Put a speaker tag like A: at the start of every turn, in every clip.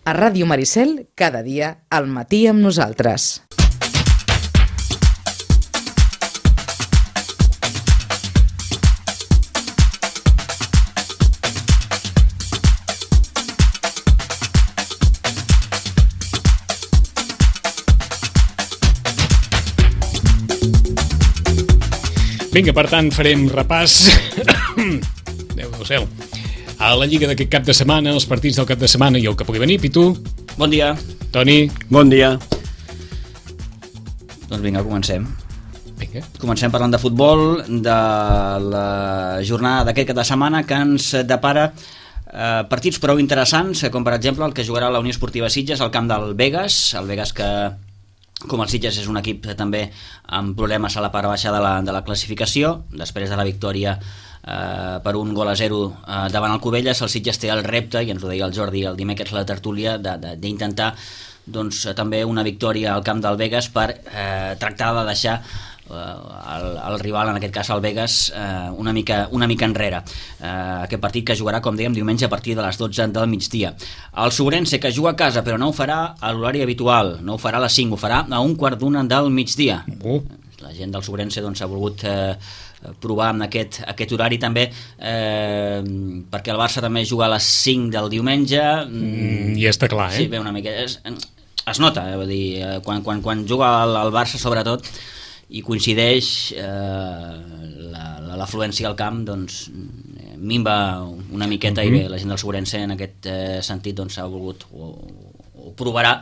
A: A Ràdio Maricel, cada dia al matí amb nosaltres.
B: Vinga, per tant, farem repàs Déu del cel a la Lliga d'aquest cap de setmana, els partits del cap de setmana i el que pugui venir. Pitu.
C: Bon dia.
B: Toni.
D: Bon dia.
C: Doncs vinga, comencem.
B: Vinga.
C: Comencem parlant de futbol, de la jornada d'aquest cap de setmana que ens depara partits prou interessants, com per exemple el que jugarà la Unió Esportiva Sitges al camp del Begues, el Begues que, com el Sitges, és un equip també amb problemes a la part baixa de la classificació. Després de la victòria per 1-0 davant el Cubelles, el Sitges té el repte, i ens ho deia el Jordi el dimecres a la tertúlia, d'intentar doncs, també una victòria al camp del Begues per tractar de deixar el rival, en aquest cas el Begues, una mica enrere. Aquest partit que jugarà, com dèiem, diumenge a partir de les 12 del migdia. El Sobrense, que juga a casa però no ho farà a l'horari habitual, no ho farà a les 5, ho farà a 1:15 del migdia. La gent del Sobrense doncs, ha volgut provar amb aquest horari també, perquè el Barça també juga a les 5 del diumenge.
B: Ja està clar,
C: Sí, bé, una mica es nota, vull dir, quan juga el Barça sobretot i coincideix l'afluència al camp, doncs minva una miqueta. I bé, la gent del Sobrense en aquest sentit doncs, ha volgut o provarà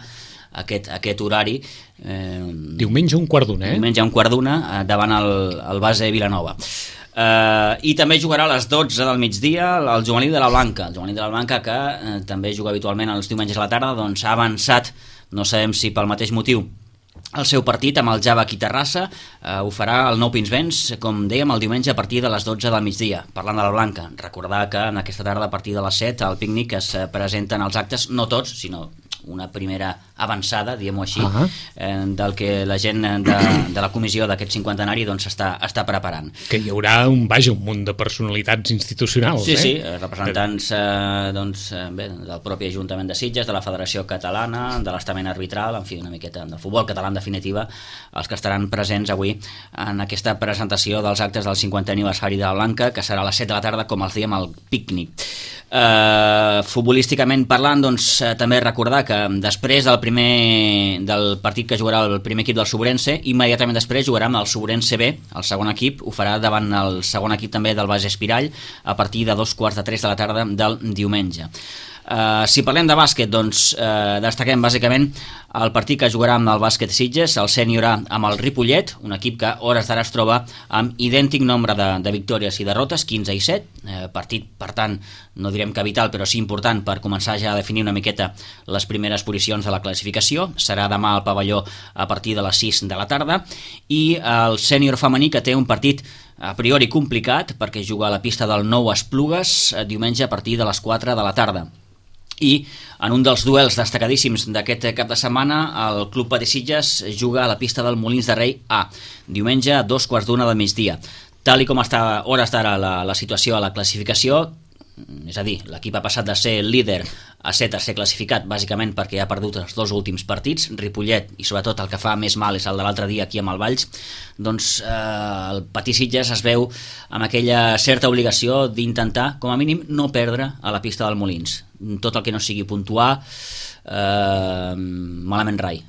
C: aquest horari.
B: Diumenge 1:15,
C: Diumenge 1:15 davant el base Vilanova. I també jugarà a les 12 del migdia el juvenil de la Blanca. El juvenil de la Blanca, que també juga habitualment els diumenges a la tarda, doncs ha avançat, no sabem si pel mateix motiu, el seu partit amb el Java aquí a Terrassa. Ho farà el Nou Pinsbens, com dèiem, el diumenge a partir de les 12 del migdia. Parlant de la Blanca, recordar que en aquesta tarda a partir de les 7 al pícnic es presenten els actes, no tots, sinó una primera avançada, diguem-ho així, del que la gent de la comissió d'aquest cinquantenari doncs, està preparant.
B: Que hi haurà un munt de personalitats institucionals.
C: Sí, representants bé, del propi Ajuntament de Sitges, de la Federació Catalana, de l'estament arbitral, en fi, una miqueta del futbol català en definitiva, els que estaran presents avui en aquesta presentació dels actes del 50è aniversari de la Blanca, que serà a les 7 de la tarda, com els dèiem, al pícnic. Futbolísticament parlant, doncs, també recordar que després del partit que jugarà el primer equip del Sobrense, immediatament després jugarà amb el Sobrense B, el segon equip, ho farà davant el segon equip també del Base Espirall a partir de 2:45 de la tarda del diumenge. Si parlem de bàsquet, doncs destaquem bàsicament el partit que jugarà amb el Bàsquet Sitges, el sènior A amb el Ripollet, un equip que a hores d'ara es troba amb idèntic nombre de victòries i derrotes, 15 i 7, partit, per tant, no direm que vital, però sí important per començar ja a definir una miqueta les primeres posicions de la classificació. Serà demà al pavelló a partir de les 6 de la tarda. I el sènior femení, que té un partit a priori complicat, perquè juga a la pista del Nou Esplugues diumenge a partir de les 4 de la tarda. I en un dels duels destacadíssims d'aquest cap de setmana, el Club Patí Sitges juga a la pista del Molins de Rei A, diumenge a 2:15 del migdia. Tal i com està a hores d'ara la situació a la classificació, és a dir, l'equip ha passat de ser líder a ser tercer classificat, bàsicament perquè ha perdut els dos últims partits, Ripollet, i sobretot el que fa més mal és el de l'altre dia aquí amb el Valls. Doncs el Patí Sitges es veu amb aquella certa obligació d'intentar, com a mínim, no perdre a la pista del Molins. Tot el que no sigui puntuar, malament rai.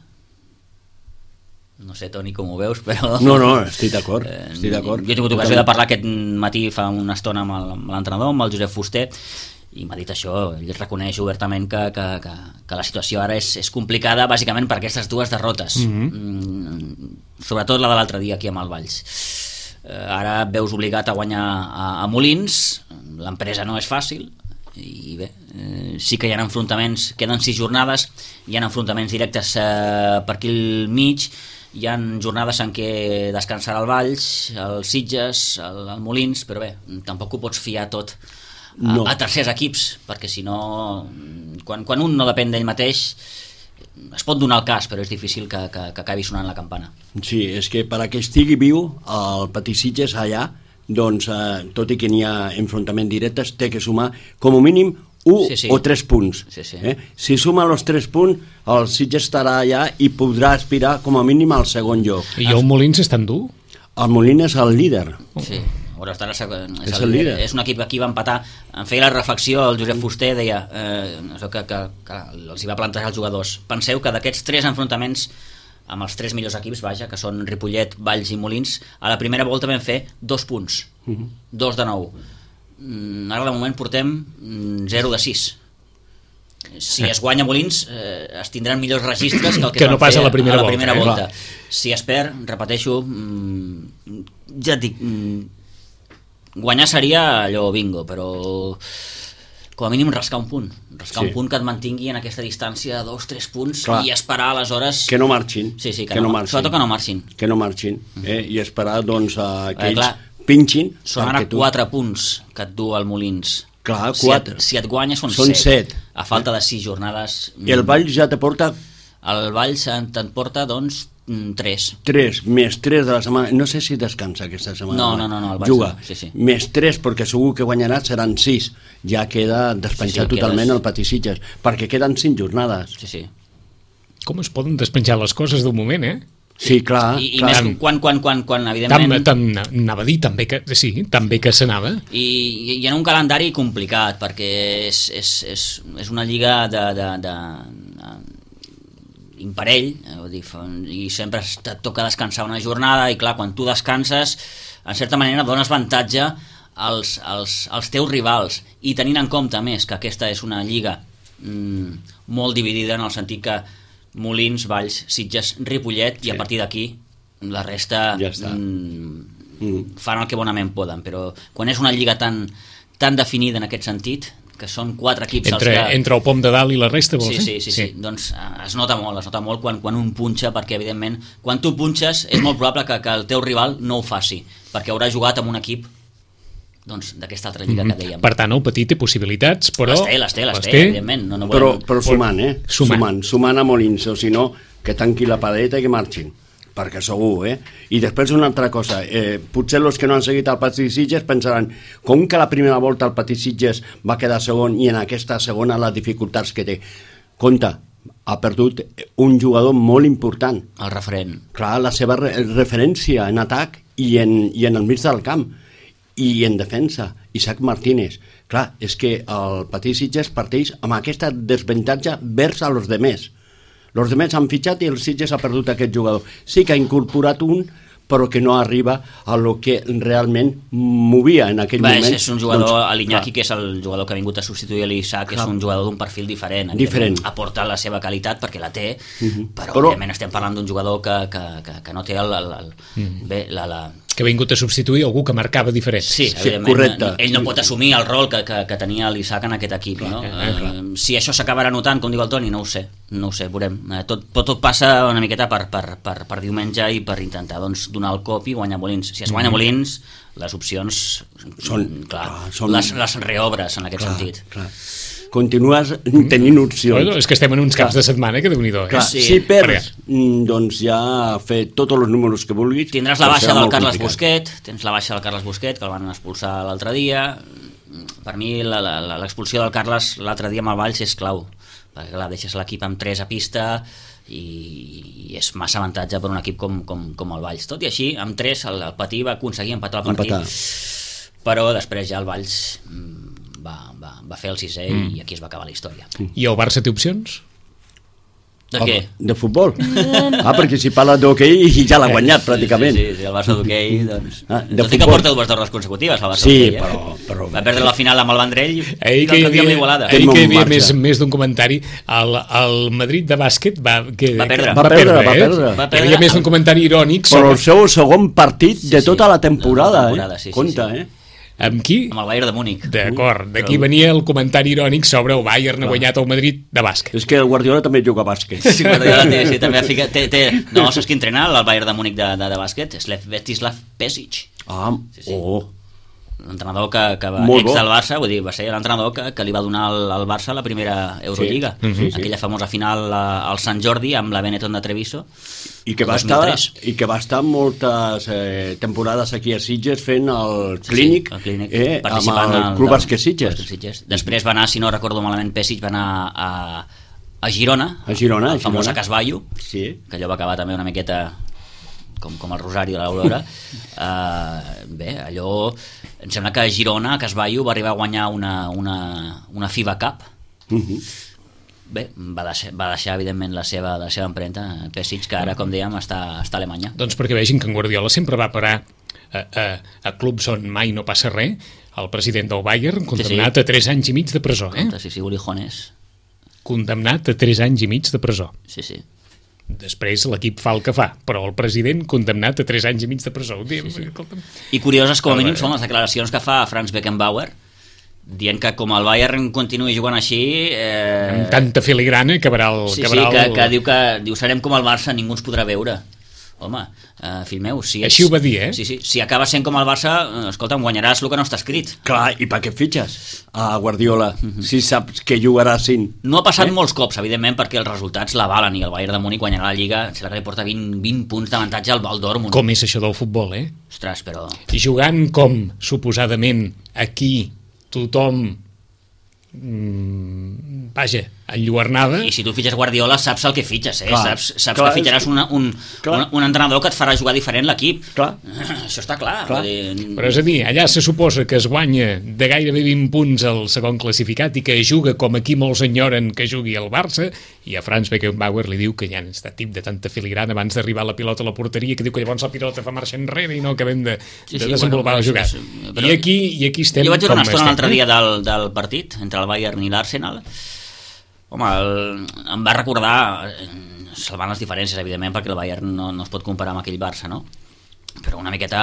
C: No sé, Toni, com ho veus, però...
D: No, estic d'acord.
C: Jo he tingut ocasió de parlar aquest matí fa una estona amb l'entrenador, amb el Josep Fuster, i m'ha dit això. Ell reconeix obertament que la situació ara és complicada, bàsicament per aquestes dues derrotes. Sobretot la de l'altre dia aquí amb el Valls. Ara et veus obligat a guanyar a Molins, l'empresa no és fàcil, i bé, sí que hi ha enfrontaments, queden 6 jornades, hi ha enfrontaments directes per aquí al mig, hi ha jornades en què descansarà el Valls, el Sitges, el Molins, però bé, tampoc ho pots fiar tot a tercers equips, perquè si no, quan un no depèn d'ell mateix, es pot donar el cas, però és difícil que acabi sonant la campana.
D: Sí, és que per a que estigui viu el Patí Sitges allà, doncs tot i que n'hi ha enfrontaments directes, té que sumar com a mínim
C: Sí.
D: o 3 punts.
C: Sí.
D: Si suma els 3 punts, el Sitges estarà allà i podrà aspirar com a mínim al segon lloc.
B: I el Molins és tan dur?
D: El Molins és el líder.
C: Sí, hores d'ara
D: És el líder.
C: És un equip que aquí va empatar. Em feia la reflexió el Josep Fuster, deia que els hi va plantejar els jugadors. Penseu que d'aquests 3 enfrontaments amb els 3 millors equips, vaja, que són Ripollet, Valls i Molins, a la primera volta vam fer 2 punts, 2 de 9. Ara de moment portem 0 de 6. Si es guanya Molins, es tindran millors registres que el que
B: no
C: es van
B: passa
C: fer
B: a la primera
C: volta. Si es perd, repeteixo, ja et dic, guanyar seria allò bingo, però com a mínim rascar un punt un punt que et mantingui en aquesta distància de 2-3 punts. Clar. I esperar aleshores
D: que no marxin,
C: que no marxin. Sobretot que no marxin
D: i esperar doncs que ells pinxin.
C: Són ara 4 punts que et du al Molins.
D: Clar, 4.
C: Si et guanya són
D: 7
C: a falta de 6 jornades.
D: I el Valls ja te porta
C: el Valls te'n porta doncs 3
D: més 3 de la setmana. No sé si descansa aquesta setmana.
C: No, el Valls
D: juga.
C: Sí.
D: Més 3 perquè segur que guanyarà seran 6. Ja queda despenjat totalment el Patisitges, perquè queden 5 jornades.
C: Sí.
B: Com es poden despenjar les coses d'un moment,
D: Sí, clar.
C: I més quan evidentment...
B: Anava a dir també que s'anava.
C: I en un calendari complicat, perquè és una lliga de imparell, i sempre et toca descansar una jornada, i clar, quan tu descanses, en certa manera dones avantatge als teus rivals, i tenint en compte més que aquesta és una lliga molt dividida, en el sentit que Molins, Valls, Sitges, Ripollet, i a partir d'aquí la resta
D: ja
C: fan el que bonament poden, però quan és una lliga tan definida en aquest sentit, que són 4 equips
B: entre el pom de dalt i la resta, vols dir?
C: Sí. Doncs es nota molt quan un punxa, perquè evidentment quan tu punxes és molt probable que el teu rival no ho faci, perquè haurà jugat amb un equip d'aquesta altra lliga que dèiem.
B: Per tant, el Petit té possibilitats, però...
C: Les té, evidentment. No
D: però sumant a Molins, o si no, que tanqui la padeta i que marxin, perquè segur, I després una altra cosa, potser els que no han seguit el Patisitges pensaran, com que la primera volta el Patisitges va quedar segon i en aquesta segona les dificultats que té. Compte, ha perdut un jugador molt important.
C: El referent.
D: Clar, la seva referència en atac i en el mig del camp. I en defensa, Isaac Martínez. Clar, és que el Patisitges parteix amb aquesta desavantatge vers a los demés. Els demés han fitxat i el Sitges ha perdut aquest jugador. Sí que ha incorporat un, però que no arriba a lo que realment movia en aquell moment.
C: És un jugador, l'Iñaki, que és el jugador que ha vingut a substituir l'Isaac, és un jugador d'un perfil diferent. Aporta la seva qualitat perquè la té, però òbviament estem parlant d'un jugador que no té
B: que ha vingut a substituir algú que marcava diferent.
C: Sí, correcte. Ell no pot assumir el rol que tenia l'Isaac en aquest equip, no? Si això s'acabarà notant, com diu el Toni, no ho sé, veurem. Tot passa una miqueta per diumenge i per intentar donar el cop i guanyar Molins. Si es guanya Molins, les opcions són les reobres en aquest sentit.
D: Continues tenint opcions.
B: Bueno, és que estem en uns caps de setmana que Déu-n'hi-do.
D: Si perds, doncs ja fer tots els números que vulguis.
C: Tindràs la baixa del Carles Busquet, que el van expulsar l'altre dia. Per mi l'expulsió del Carles l'altre dia amb el Valls és clau, perquè clar, deixes l'equip amb 3 a pista i és massa avantatge per un equip com el Valls. Tot i així, amb 3 el Patí va aconseguir empatar el partit, però després ja el Valls va fer el 6è i aquí es va acabar la història.
B: I el Barça té opcions?
C: De què?
D: De futbol. Perquè si parla d'hoquei ja l'ha guanyat pràcticament.
C: Sí, el Barça d'hoquei, doncs... Tot i que porta 2 torres consecutives el Barça
D: d'hoquei.
C: Sí, però... Va perdre la final amb el Vendrell i
B: l'altre dia amb l'Igualada. Ahir que hi havia més d'un comentari, el Madrid de bàsquet va perdre. Hi havia més d'un comentari irònic.
D: Però el seu segon partit de tota la temporada, compte,
B: Amb qui?
C: Amb el Bayern de Múnich.
B: D'acord, d'aquí venia el comentari irònic sobre el Bayern ha guanyat el Madrid de bàsquet.
D: És que el Guardiola també juga a bàsquet.
C: Sí, Guardiola també ha ficat... No, saps qui entrena el Bayern de Múnich de bàsquet? És Svetislav Pesic. l'entrenador que va
D: Molt
C: ex
D: bo.
C: del Barça, vull dir, va ser l'entrenador que li va donar al Barça la primera Eurolliga,
D: sí.
C: aquella famosa final al Sant Jordi amb la Benetton de Treviso,
D: I que, va estar moltes temporades aquí a Sitges fent el clínic,
C: el clínic
D: amb
C: participant
D: el Club Bàsquet Sitges.
C: Després va anar, si no recordo malament, Pesic va anar a Girona, el famós Casballo,
D: sí.
C: que allò va acabar també una miqueta com el Rosari de l'Aurora. Bé, allò em sembla que a Girona, a Casballo, va arribar a guanyar una FIBA Cup. Bé, va deixar evidentment la seva empremta Pesic, que ara, com dèiem, està a Alemanya.
B: Doncs perquè vegin que en Guardiola sempre va parar a clubs on mai no passa res. El president del Bayern, condemnat a 3 anys i mig de presó.
C: Sí, Ulijones.
B: Condemnat a 3 anys i mig de presó.
C: Sí.
B: Després l'equip fa el que fa, però el president condemnat a 3 anys i mig de presó.
C: Sí. I curioses com a mínim són les declaracions que fa Franz Beckenbauer, dient que com el Bayern continuï jugant així...
B: amb tanta filigrana acabarà el...
C: que diu serem com el Barça, ningú ens podrà veure. Home, fill meu,
B: així ho va dir, eh?
C: Sí, si acaba sent com el Barça, escolta'm, guanyaràs el que no està escrit.
D: Clar, i per què fitxes a Guardiola si saps que jugarà 5?
C: No ha passat molts cops, evidentment, perquè els resultats l'avalen i el Bayern de Múnich guanyarà la Lliga, sembla que li porta 20 punts d'avantatge al Dortmund.
B: Com és això del futbol, eh?
C: Ostres, però...
B: I jugant com, suposadament, aquí tothom vaja, enlluernada.
C: I si tu fitxes Guardiola saps el que fitxes,
D: Clar,
C: saps que fitxaràs un entrenador que et farà jugar diferent l'equip.
D: Clar.
C: Això està clar.
B: Però és a dir, allà se suposa que es guanya de gairebé 20 punts el segon classificat i que juga com aquí molts enyoren que jugui el Barça, i a Franz Beckenbauer li diu que ja està tip de tanta filigrana abans d'arribar la pilota a la porteria, que diu que llavors la pilota fa marxa enrere i no acabem de desenvolupar la jugada. I aquí estem...
C: Jo vaig veure una estona l'altre dia del partit entre el Bayern i l'Arsenal. Home, em va recordar, salvant les diferències, evidentment, perquè el Bayern no es pot comparar amb aquell Barça, no? Però una miqueta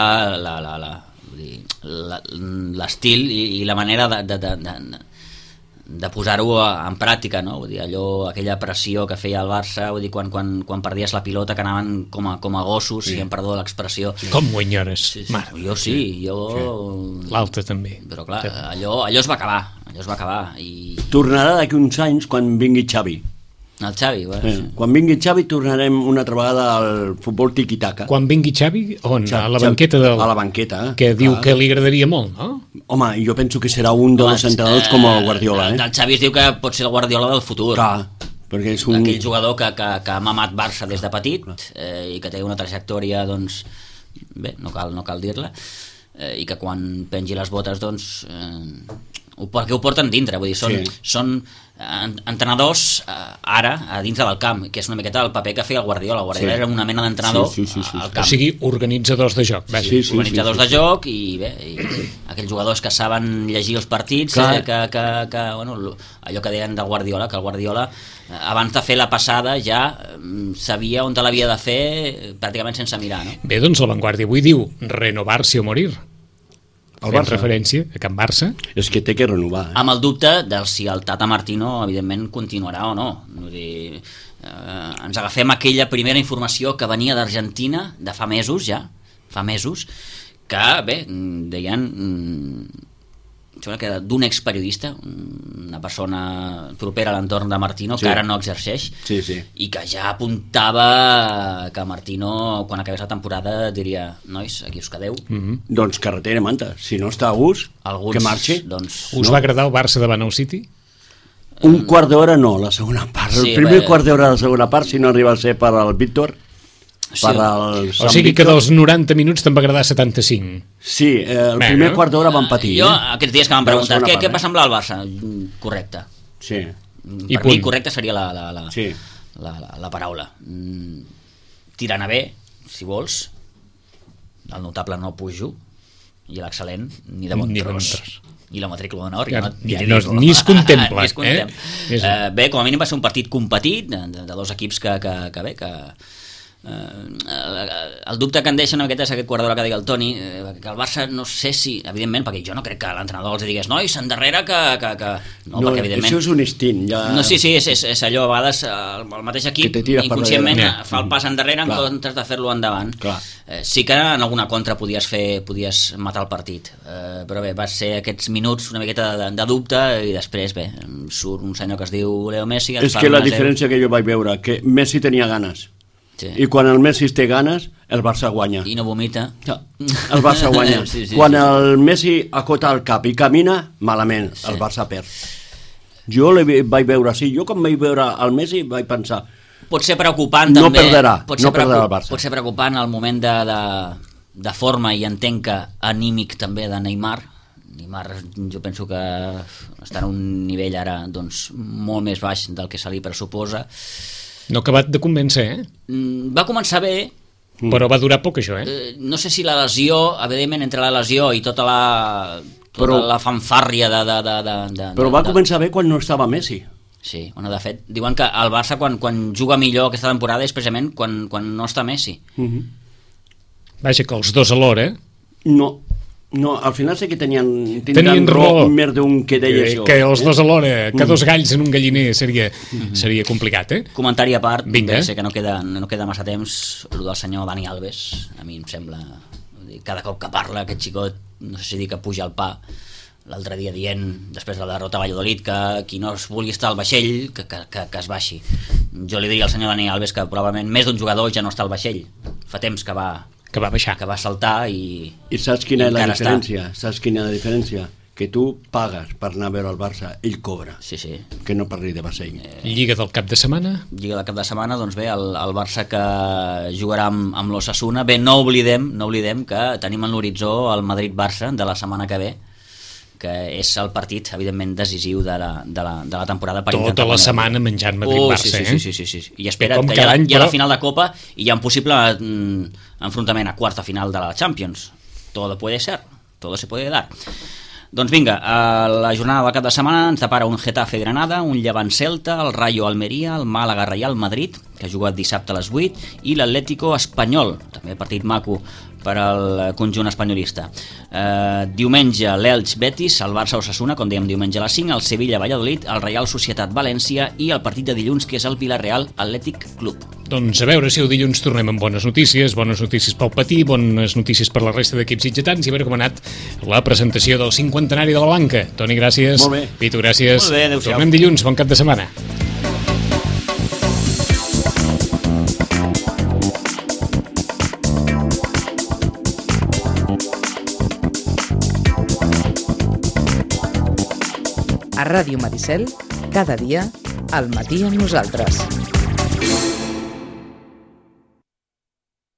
C: l'estil i la manera de posar-ho en pràctica, no? Vull dir, aquella pressió que feia el Barça, vull dir, quan perdies la pilota, que anaven com a gossos, si em perdó l'expressió.
B: Com ho enyores?
C: Jo sí.
B: L'altre també.
C: Però clar, allò es va acabar. I...
D: Tornarà d'aquí uns anys quan vingui Xavi.
C: El Xavi,
D: quan vingui Xavi tornarem una altra vegada al futbol tiki-taka.
B: Quan vingui Xavi? On? A la banqueta del...
D: A la banqueta.
B: Que diu que li agradaria molt, no?
D: Home, jo penso que serà un dels entrenadors com el Guardiola.
C: El Xavi es diu que pot ser el Guardiola del futur.
D: Clar, perquè és un...
C: Aquell jugador que ha mamat Barça des de petit i que té una trajectòria, doncs, bé, no cal dir-la, i que quan pengi les botes, doncs... perquè ho porten dintre, vull dir, són entrenadors ara a dintre del camp, que és una miqueta el paper que feia el Guardiola. El Guardiola era una mena d'entrenador al camp.
B: O sigui, organitzadors de joc.
C: Organitzadors de joc i bé, aquells jugadors que saben llegir els partits, allò que deien del Guardiola, que el Guardiola abans de fer la passada ja sabia on te l'havia de fer pràcticament sense mirar, no?
B: Bé, doncs la Vanguardia avui diu renovar-se o morir. Fent referència a Can Barça.
D: És que té que renovar.
C: Amb el dubte de si el Tata Martino evidentment continuarà o no. Vull dir, ens agafem aquella primera informació que venia d'Argentina de fa mesos, que bé, deien que d'un experiodista, una persona propera a l'entorn de Martino, que ara no exerceix, i que ja apuntava que Martino, quan acabés la temporada, diria: nois, aquí us quedeu.
D: Doncs carretera manta, si no està a gust, que marxi.
B: Us va agradar el Barça davant el City?
D: Un quart d'hora no, la segona part. El primer quart d'hora de la segona part, si no arriba a ser per al Víctor.
B: O sigui que dels 90 minuts te'n va agradar 75.
D: Sí, el primer quart d'hora van patir.
C: Jo, aquests dies que m'han preguntat què passa amb el Barça, correcte.
D: Sí.
C: Per mi correcte seria la paraula. Tirant a bé, si vols, el notable no pujo, i l'excel·lent ni de bon tros. I la matrícula d'honor
B: ni es contempla.
C: Bé, com a mínim va ser un partit competit de dos equips que el dubte que em deixa una miqueta és aquest quart d'hora que deia el Toni, que el Barça no sé si, evidentment, perquè jo no crec que l'entrenador els digués nois, endarrere que... No, perquè evidentment...
D: Això és un instint. Ja...
C: No, sí, és allò, a vegades el mateix equip inconscientment fa el pas endarrere en comptes de fer-lo endavant. Sí que en alguna contra podies matar el partit, però bé, va ser aquests minuts una miqueta de dubte i després, bé, surt un senyor que es diu Leo Messi...
D: És que la diferència que jo vaig veure, que Messi tenia ganes. Sí. I quan el Messi té ganes, el Barça guanya.
C: I no vomita.
D: El Barça guanya. Sí, quan el Messi acota el cap i camina, malament, el Barça perd. Jo vaig veure així. Jo quan vaig veure el Messi vaig pensar...
C: Pot ser preocupant
D: no
C: també.
D: Perderà el Barça.
C: Pot ser preocupant el moment de forma i entenc que anímic també de Neymar. Neymar jo penso que està en un nivell ara doncs, molt més baix del que se li pressuposa.
B: No ha acabat de convèncer,
C: Va començar bé,
B: però va durar poc això,
C: no sé si la lesió, evidentment entre la lesió i tota la fanfàrria
D: Però va començar bé quan no estava Messi.
C: Sí, bueno, de fet, diuen que el Barça quan juga millor aquesta temporada és precisament quan no està Messi.
B: Vaja, que els dos alhora,
D: No, al final sí que tenien raó més d'un que deia això.
B: Que els dos alhora, que dos galls en un galliner seria complicat,
C: Comentari a part, sé que no queda massa temps, el del senyor Dani Alves, a mi em sembla, cada cop que parla aquest xicot, no sé si dir que puja al pa, l'altre dia dient, després de la derrota a Valladolid, que qui no es vulgui estar al vaixell, que es baixi. Jo li diria al senyor Dani Alves que probablement més d'un jugador ja no està al vaixell. Fa temps que va
B: baixar,
C: que va saltar i
D: saps quina és la diferència? Saps quina és la diferència? Que tu pagues per anar a veure el Barça, ell cobra.
C: Sí.
D: Que no parli de vaixell.
B: Lliga del cap de setmana?
C: Lliga del cap de setmana, doncs bé, el Barça que jugarà amb l'Osasuna. Bé, no oblidem que tenim en l'horitzó el Madrid-Barça de la setmana que ve, que és el partit, evidentment, decisiu de la temporada.
B: Tota la setmana menjant Madrid-Barça,
C: sí. I espera que hi ha la final de Copa i hi ha un possible enfrontament a quarta final de la Champions. Todo puede ser, todo se puede dar. Doncs vinga, a la jornada del cap de setmana ens depara un Getafe-Granada, un Llevant-Celta, el Rayo-Almeria, el Màlaga-Reial Madrid, que ha jugat dissabte a les 8, i l'Atlético-Espanyol, també partit maco per al conjunt espanyolista. Diumenge l'Elx-Betis, el Barça-Osasuna, com dèiem diumenge a les 5, el Sevilla-Valladolid, el Real Societat-València i el partit de dilluns, que és el Villarreal-Atlètic Club.
B: Doncs a veure si el dilluns tornem amb bones notícies pel Patí, bones notícies per la resta d'equips sitgetans, i a veure com ha anat la presentació del 50enari de la Blanca. Toni, gràcies.
D: Molt bé.
B: Pitu, gràcies.
C: Molt bé, adéu-siau.
B: Tornem dilluns, bon cap de setmana.
A: A Ràdio Maricel, cada dia, al matí amb nosaltres.